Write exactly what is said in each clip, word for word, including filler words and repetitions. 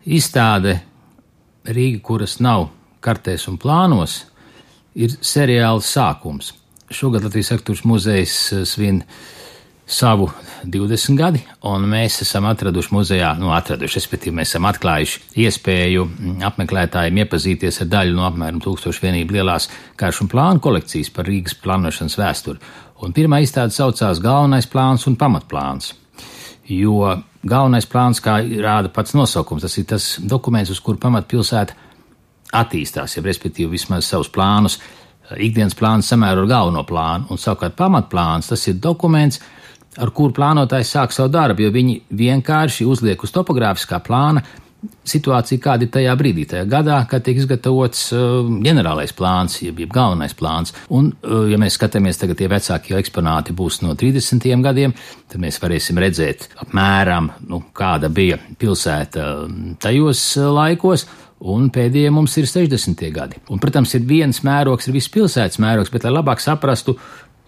izstāde Rīga, kuras nav kartēs un plānos, ir seriāls sākums. Šogad Latvijas Arhitektūras muzejs svin savu divdesmit gadi, un mēs esam atraduši muzejā, nu atraduši, respektīvi mēs esam atklājuši iespēju apmeklētājiem iepazīties ar daļu no apmēram tūkstošu vienību lielās karšu un plānu kolekcijas par Rīgas plānošanas vēsturi. Un pirmā izstāde saucās Galvenais plāns un pamatplāns, jo galvenais plāns, kā rāda pats nosaukums, tas ir tas dokuments, uz kuru pamatpilsēta attīstās, ja respektīvi vismaz savus plānus, ikdienas plāns samēro ar galveno plānu, un savukārt pamatplāns, tas ir dokuments, ar kuru plānotājs sāk savu darbu, jo viņi vienkārši uzliek uz topogrāfiskā plāna situāciju, kāda ir tajā brīdī, tajā gadā, kad tiek izgatavots uh, ģenerālais plāns, jeb, jeb galvenais plāns. Un, uh, ja mēs skatāmies tagad, tie vecākie eksponāti būs no trīsdesmitiem gadiem, tad mēs varēsim redzēt apmēram, nu, kāda bija pilsēta tajos laikos, un pēdējie mums ir sešdesmitie gadi. Un, protams, ir viens mērogs, ir viss pilsētas mērogs, bet, lai labāk saprastu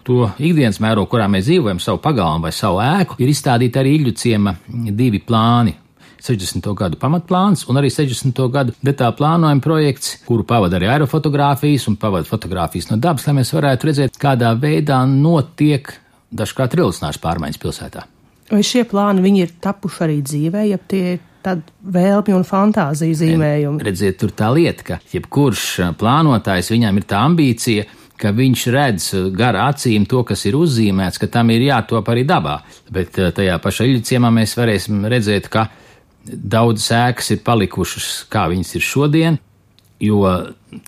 to ikdienas mērogu, kurā mēs dzīvojam, savu pagalmu vai savu ēku, ir izstādīti arī Iļļu ciema divi plāni. sešdesmito gadu pamatplāns un arī sešdesmito gadu detāla plānojuma projekts, kuru pavada arī aerofotogrāfijas un pavada fotogrāfijas no dabas, lai mēs varētu redzēt, kādā veidā notiek dažkārt revolucionāras pārmaiņas pilsētā. Vai šie plāni, viņi ir tapuši arī dzīvē, ja tie ir tāda vēlmi un fantāzija zīmējumi? Redziet, tur tā lieta, ka jebkurš plānotājs, viņam ir tā ambīcija, ka viņš redz gar acīm to, kas ir uzzīmēts, ka tam ir jātop arī dabā. Bet tajā pašā Iļļu ciemā mēs varēsim redzēt, ka daudzas ēkas ir palikušas, kā viņas ir šodien, jo,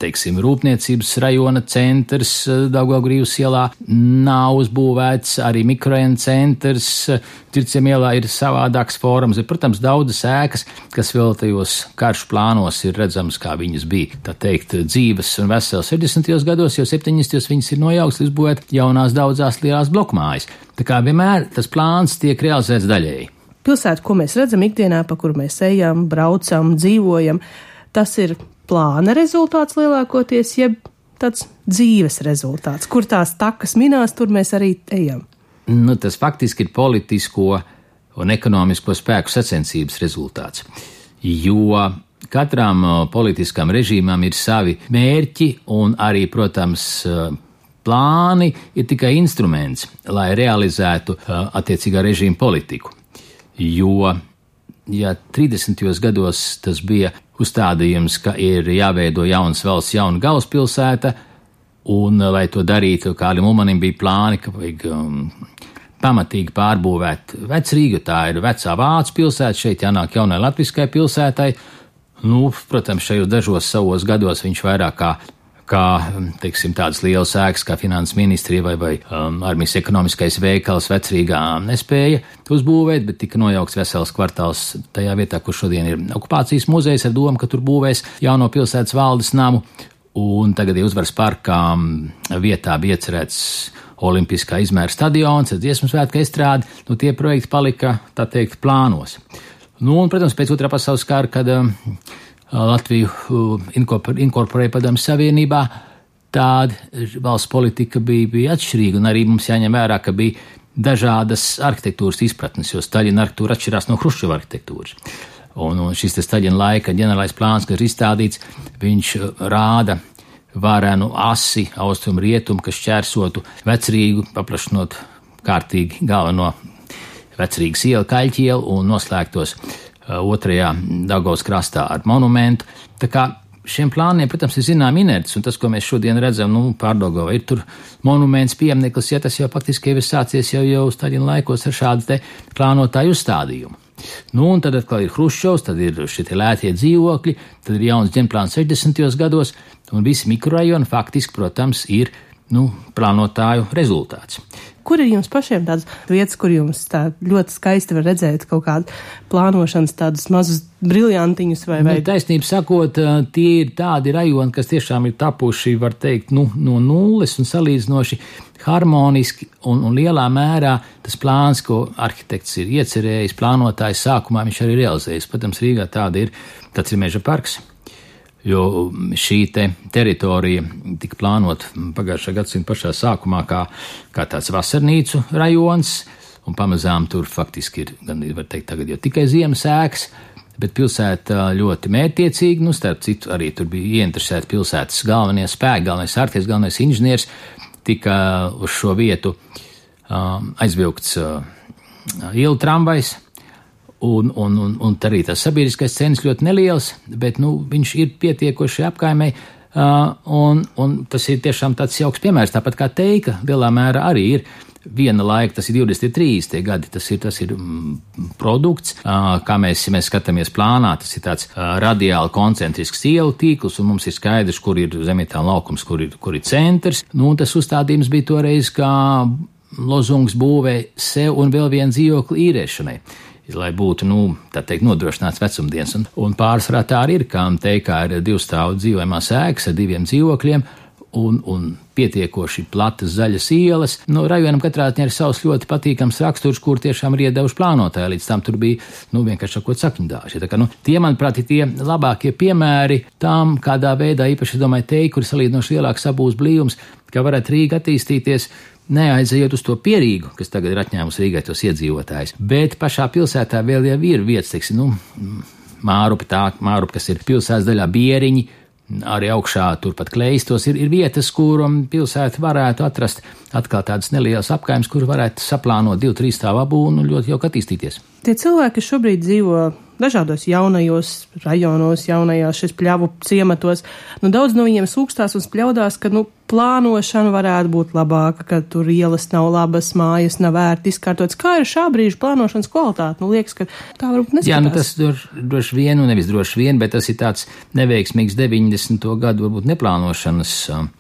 teiksim, rūpniecības rajona centrs Daugavgrīvas ielā nav uzbūvēts, arī mikrorajona centrs Tirciem ielā ir savādāks forums. Ir, protams, daudzas ēkas, kas vēl tajos karšu plānos ir redzamas, kā viņas bija, tā teikt, dzīves un veselas sešdesmitajos gados, jo septiņdesmitajos viņas ir nojauktas, izbūvēt jaunās daudzās lielās blokmājas. Tā kā vienmēr tas plāns tiek realizēts daļēji. Pilsēta, ko mēs redzam ikdienā, pa kuru mēs ejam, braucam, dzīvojam, tas ir plāna rezultāts lielākoties, jeb tāds dzīves rezultāts. Kur tās takas minās, tur mēs arī ejam. Nu, tas faktiski ir politisko un ekonomisko spēku sacensības rezultāts, jo katram politiskam režīmam ir savi mērķi un arī, protams, plāni ir tikai instruments, lai realizētu attiecīgā režīma politiku. Jo, ja trīsdesmitajos gados tas bija uzstādījums, ka ir jāveido jaunas valsts, jauna galvaspilsēta, un, lai to darītu, Kārlim Ulmanim bija plāni, ka vajag um, pamatīgi pārbūvēt Vecrīgu, tā ir vecā Vācu pilsēta, šeit jānāk jaunai latviskai pilsētai. Nu, protams, šajos dažos savos gados viņš vairāk kā kā, teiksim, tādas lielas ēkas kā finanses ministrija vai, vai um, armijas ekonomiskais veikals Vecrīgā nespēja uzbūvēt, bet tika nojaukts vesels kvartāls tajā vietā, kur šodien ir okupācijas muzejs ar domu, ka tur būvēs jauno pilsētas valdes namu, un tagad ir Uzvaras parkā vietā bija iecerēts olimpiskā izmēra stadions, ar dziesmu svētku estrādi, nu tie projekti palika, tā teikt, plānos. Nu, un, protams, pēc otrā pasaules kara, kad um, Latviju inkorporēja Padomju Savienībā, tāda valsts politika bija, bija atšķirīga, un arī mums jāņem vērā, ka bija dažādas arhitektūras izpratnes, jo Staļina arhitektūra atšķirās no Hruščova arhitektūras. Un, un šis te Staļina laika ģenerālais plāns, kas ir izstādīts, viņš rāda varenu asi austrumu rietumu, kas šķērsotu Vecrīgu, paplašinot kārtīgi galveno Vecrīgas ielu, Kaļķi ielu un noslēgtos otrajā Daugavas krastā ar monumentu. Tā kā šiem plāniem, protams, ir zinām inerts, un tas, ko mēs šodien redzam, nu, pārdaugavā ir tur monuments, piemineklis, ja tas jau faktiski ir sācies jau, jau Staļina laikos ar šādu te plānotāju uzstādījumu. Nu, un tad atkal ir Hruščovs, tad ir šitie lētie dzīvokļi, tad ir jauns ģenerplāns sešdesmitajos gados, un visi mikrorajoni faktiski, protams, ir, nu, plānotāju rezultāts. Kur ir jums pašiem tādas vietas, kur jums tā ļoti skaisti var redzēt kaut kādu plānošanas tādus mazus briljantiņus vai vai? Nu, taisnība sakot, tie ir tādi rajoni, kas tiešām ir tapuši, var teikt, nu, no nulles un salīdzinoši harmoniski un, un lielā mērā tas plāns, ko arhitekts ir iecerējis, plānotājs sākumā viņš arī realizējis. Protams, Rīgā tāda ir, tāds ir Meža parks, jo šī te teritorija tika plānota pagājušā gadsimta pašā sākumā kā, kā tāds vasarnīcu rajons, un pamazām tur faktiski ir, gan var teikt, tagad jau tikai ziemas ēkas, bet pilsēta ļoti mērķtiecīgi, nu, starp citu, arī tur bija ieinteresēti pilsētas galvenie spēki, galvenais arhitekts, galvenais inženieris, tika uz šo vietu um, aizvilkts uh, ielu tramvajs, un, un, un, un arī tas sabiedriskais cenas ļoti neliels, bet, nu, viņš ir pietiekoši apkaimē, uh, un, un tas ir tiešām tāds jauks piemērs, tāpat kā Teika, lielā mērā arī ir. Viena laika, tas ir divdesmit trīs tie gadi, tas ir, tas ir mm, produkts, uh, kā mēs, ja mēs skatāmies plānā, tas ir tāds uh, radiāli koncentrisks ielu tīkls, un mums ir skaidrs, kur ir Zemietāna laukums, kur ir, kur ir centrs. Nu, un tas uzstādījums bija toreiz, kā lozungs būvē sev un vēl vienu dzīvokli īrēšanai, lai būtu, nu, tā teikt, nodrošināts vecumdienas. Un, un pārsvarā tā arī ir, kā Teikā ir divstāvu dzīvojamās ēkas ar diviem dzīvokļiem, Un, un pietiekoši platas zaļas ielas. Nu, rajonam katrā ziņā ir savs ļoti patīkams raksturs, kur tiešām ir iedevuši plānotāji. Līdz tam tur bija, nu, vienkārši sakot, sakņdāži. Tā kā, nu, tie, manuprāt, ir tie labākie piemēri tam, kādā veidā, īpaši, domāju, Teika, kur ir salīdzinoši lielāks sabūves blīvums, kā varētu Rīga attīstīties, neaizejot uz to Pierīgu, kas tagad ir atņēmusi Rīgai tos iedzīvotājus. Bet pašā pilsētā vēl jau ir vietas, teiksim, nu, Mārupi, tā, Mārupi, kas ir pilsētas daļā Bieriņi, arī augšā turpat Kleistos ir, ir vietas, kur pilsēta varētu atrast atkal tādas nelielas apkaimes, kur varētu saplānot divu, trīs stāvu būvnu un ļoti jauki attīstīties. Tie cilvēki, kas šobrīd dzīvo dažādos jaunajos rajonos, jaunajās šis pļavu ciematos, nu daudz no viņiem sūkstās un spļaudās, ka, nu, plānošana varētu būt labāka, ka tur ielas nav labas, mājas nav vērti izkārtotas. Kā ir šā brīža plānošanas kvalitāte? Nu, liekas, ka tā varbūt neskatās. Jā, nu tas droši, droši vien, un nevis droši vien, bet tas ir tāds neveiksmīgs deviņdesmito gadu varbūt neplānošanas um,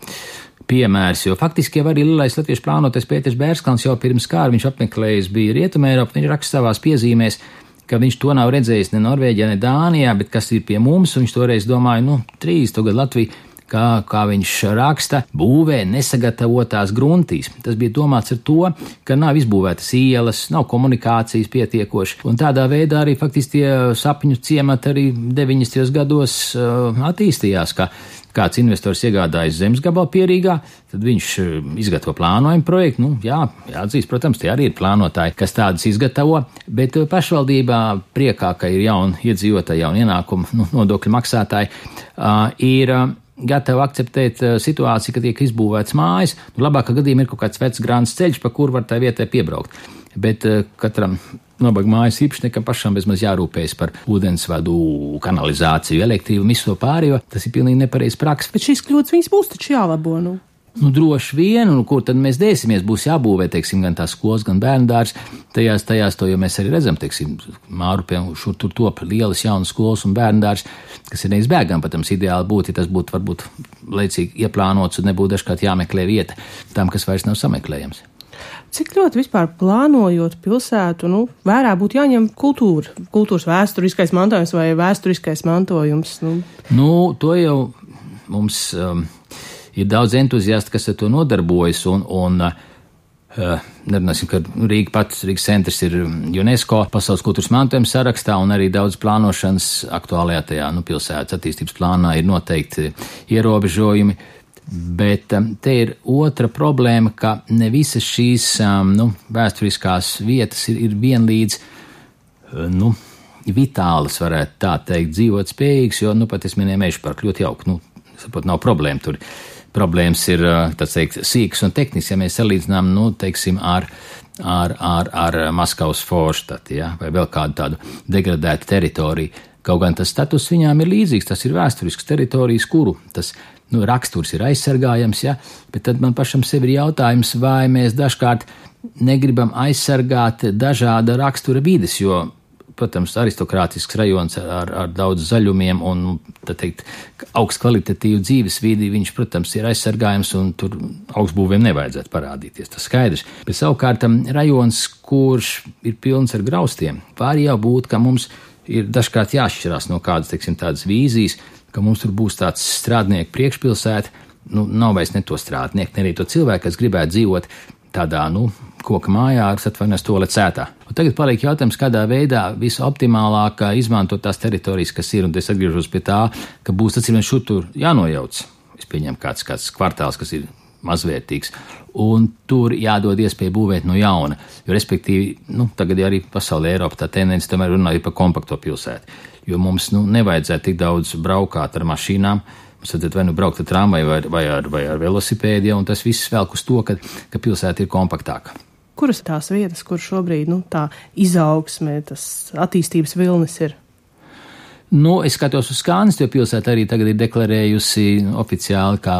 piemērs, jo faktiski jau arī lielais latviešu plānotais Pēters Bērskalns jau pirms kāra viņš apmeklējis bija Rietumēropu, viņš raksta savās piezīmēs, ka viņš to nav redzējis ne Norvēģijā, ne Dānijā, bet kas ir pie mums, un viņš toreiz domāja, nu, trīsdesmito gadu Latvija, kā, kā viņš raksta, būvē nesagatavotās gruntīs. Tas bija domāts ar to, ka nav izbūvētas ielas, nav komunikācijas pietiekoši, un tādā veidā arī faktiski tie sapņu ciemati arī deviņdesmitajos gados uh, attīstījās, ka kāds investors iegādājas zemes gabalu Pierīgā, tad viņš izgatavo plānojumu projektu. Nu, jā, jāatzīst, protams, tie arī ir plānotāji, kas tādus izgatavo, bet pašvaldībā priekā, ka ir jauni iedzīvotāji, jauni ienākumi, nu, nodokļu maksātāji, uh, ir uh, gatavi akceptēt uh, situāciju, ka tiek izbūvēts mājas. Nu, labākā gadījumā ir kaut kāds vecs grāns ceļš, pa kur var tā vietai piebraukt. Bet uh, katram nabaga mājas īpašniekam pašam bezmaz jārūpējas par ūdensvadu, kanalizāciju, elektrību, visu to pārējo. Tas ir pilnīgi nepareizs praksa. Bet šīs kļūdas viņas būs taču jālabo, nu? Nu, droši vien, un kur tad mēs dēsimies, būs jābūvē, teiksim, gan tās skolas, gan bērndārs. Tajās, tajās to jau mēs arī redzam, teiksim, Mārupiem šur tur top lielas jaunas skolas un bērndārs, kas ir neizbēgami, patams ideāli būtu, ja tas būtu varbūt laicīgi ieplānots un nebūtu dažkārt jāmeklē vieta tam, kas vairs nav sameklējams. Cik ļoti vispār plānojot pilsētu, nu, vērā būtu jāņem kultūra, kultūras vēsturiskais mantojums vai vēsturiskais mantojums? Nu, nu to jau mums um, ir daudz entuziasti, kas ar to nodarbojas, un, un uh, nerunāsim, ka Rīga pats, Rīgas centrs ir UNESCO pasaules kultūras mantojuma sarakstā, un arī daudz plānošanas aktuālajā tajā, nu, pilsētas attīstības plānā ir noteikti ierobežojumi. Bet um, te ir otra problēma, ka ne visas šīs um, nu, vēsturiskās vietas ir, ir vienlīdz uh, nu, vitālas, varētu tā teikt, dzīvot spējīgas, jo, nu, pat es minēju Meža parku, ļoti jauki, nu, saprot, nav problēma tur. Problēmas ir, tā teikt, sīkas un tehnisks, ja mēs salīdzinām, nu, teiksim, ar, ar, ar, ar Maskavas Forštati, ja, vai vēl kādu tādu degradētu teritoriju. Kaut gan tas status viņām ir līdzīgs, tas ir vēsturisks teritorijas, kuru tas, nu, raksturs ir aizsargājams, ja, bet tad man pašam sev ir jautājums, vai mēs dažkārt negribam aizsargāt dažāda rakstura vides, jo, protams, aristokrātisks rajons ar, ar daudz zaļumiem un, tā teikt, augsts kvalitatīvu dzīves vidi, viņš, protams, ir aizsargājams un tur augstbūvēm nevajadzētu parādīties, tas skaidrs. Bet savukārt rajons, kurš ir pilns ar graustiem, var jau būt, ka mums ir dažkārt jāšķirās no kādas, teiksim, tādas vīzijas, ka mums tur būs tāds strādnieku priekšpilsēta, nu, nav vairs ne to strādnieku, ne arī to cilvēku, kas gribētu dzīvot tādā, nu, koka mājā ar atvainojos toalets sētā. Un tagad paliek jautājums, kādā veidā visoptimālāk izmantot tās teritorijas, kas ir, un es atgriežos pie tā, ka būs, atcīm šur tur jānojauc. Es pieņemu kāds, kāds kvartāls, kas ir mazvērtīgs. Un tur jādod iespēju būvēt no jauna, jo respektīvi, nu, tagad arī pasaulē Eiropa tā tendence tomēr runāja par kompakto pilsētu, jo mums, nu, nevajadzētu tik daudz braukāt ar mašīnām, mums vajadzētu vai nu braukt ar tramvaju vai, vai, ar, vai ar velosipēdi, un tas viss velk uz to, ka, ka pilsēta ir kompaktāka. Kuras tās vietas, kur šobrīd, nu, tā izaugsme, tas attīstības vilnis ir? Nu, es skatos uz Skanstu, jo pilsēta arī tagad ir deklarējusi oficiāli kā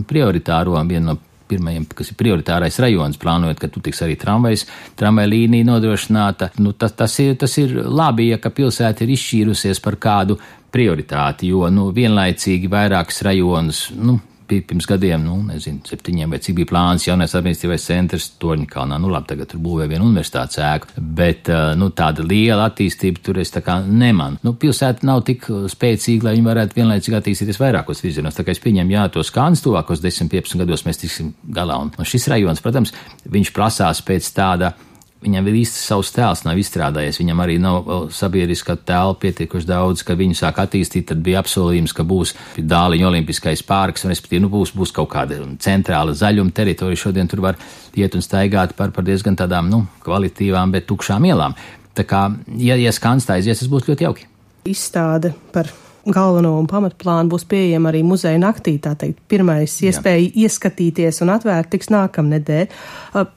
prioritāro, vienu no pirmajiem, kas ir prioritārais rajons, plānojot, ka tu tiks arī tramvajs, tramvaja līnija nodrošināta. Nu, tas, tas, ir, tas ir labi, ja ka pilsēta ir izšķīrusies par kādu prioritāti, jo, nu, vienlaicīgi vairākas rajonas, nu, pirms gadiem, nu, nezinu, septiņiem vai cik bija plāns jaunais administratīvais centrs Torņkalnā, nu labi, tagad tur būvē vienu universitātes ēku, bet, nu, tāda liela attīstība tur es tā kā nemanu. Nu, pilsēta nav tik spēcīga, lai viņi varētu vienlaicīgi attīstīties vairākos virzienos, tā kā es pieņemu, jā, tos Skandas tuvākos desmit piecpadsmit gados mēs tiksim galā, un, un šis rajons, protams, viņš prasās pēc tāda, viņam vēl īsti savs tēls nav izstrādājies, viņam arī nav sabiedriskā tēla pietiekuši daudz, kad viņu sāk attīstīt, tad bija apsolījums, ka būs Dāliņa olimpiskais parks, un respektīvi, nu, būs, būs kaut kāda centrāla zaļuma teritorija, šodien tur var iet un staigāt par, par diezgan tādām, nu, kvalitīvām, bet tukšām ielām. Tā kā, ja, ja Skands tā aizies, tas būs ļoti jauki. Izstāde par galveno un pamatplānu būs pieejama arī muzeja naktī, tā teikt, pirmais iespēja Jā. Ieskatīties un atvērt tiks nākamnedēļ.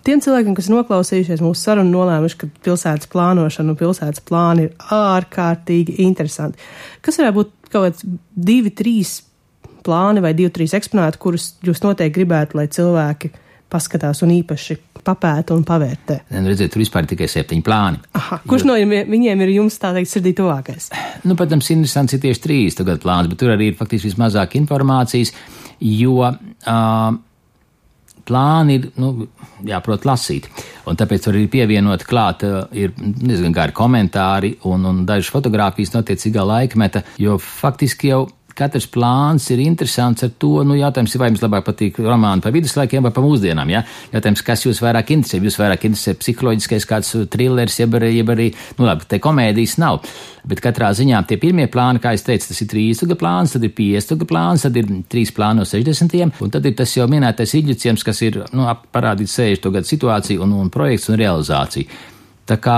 Tiem cilvēkiem, kas noklausījušies mūsu sarunu, nolēmuši, ka pilsētas plānošana un pilsētas plāni ir ārkārtīgi interesanti. Kas varētu būt kaut kāds divi, trīs plāni vai divi, trīs eksponāti, kurus jūs noteikti gribētu, lai cilvēki paskatās un īpaši papēta un pavērtē? Redziet, tur vispār tikai septiņi plāni. Aha, kurš jo... no viņiem ir jums, tā teikt, sirdī tuvākais? Nu, protams, interesants ir tieši trīs tagad plāns, bet tur arī ir faktiski vismazāk informācijas, jo uh, plāni ir, nu, jāprot lasīt. Un tāpēc tur ir pievienot klāt, uh, ir diezgan gari komentāri un, un dažas fotogrāfijas no attiecīgā laikmeta, jo faktiski jau katrs plāns ir interesants ar to, nu, jautājums ir, vai jums labāk patīk romāni par viduslaikiem vai par mūsdienām, ja? Jautājums, kas jūs vairāk interesē, jūs vairāk interesē psiholoģiskais kāds thrillers, jeb arī, jeb arī, nu, labi, te komēdijas nav, bet katrā ziņā tie pirmie plāni, kā es teicu, tas ir trīsstuga plāns, tad ir piecstuga plāns, tad ir trīs plāni no sešdesmitiem, un tad ir tas jau minētais Iļģiciems, kas ir, nu, parādīt sešdesmito gadu situāciju un, un projekts un realizāciju. Tā kā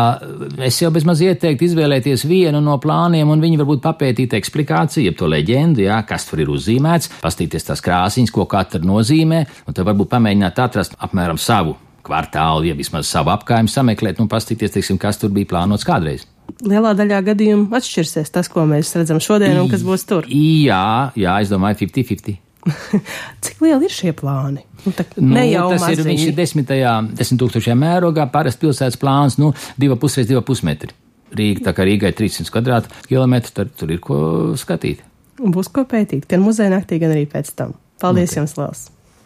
es jau bezmaz ieteiktu izvēlēties vienu no plāniem un viņi varbūt papētīt eksplikāciju, jeb to leģendu, jā, kas tur ir uzzīmēts, pastīties tās krāsiņas, ko katra nozīmē, un tad varbūt pamēģināt atrast apmēram savu kvartālu, ja vismaz savu apkārtni sameklēt, un pastīties, teiksim, kas tur bija plānots kādreiz. Lielā daļā gadījumu atšķirsies tas, ko mēs redzam šodien un kas būs tur. Jā, jā, es domāju fifty fifty. Cik lieli ir šie plāni? Nu, tā, nu, ne jau tas maziņi. ir, viņš ir desmitajā, desmit tūkstošajā mērogā, parasti pilsētas plāns, nu, divi pusreiz divi pusmetri. Rīga, tā kā Rīgai trīssimts kvadrātkilometri, tad tur ir ko skatīt. Un būs ko pētīt, gan muzeja naktī, gan arī pēc tam. Paldies okay. jums, Lels!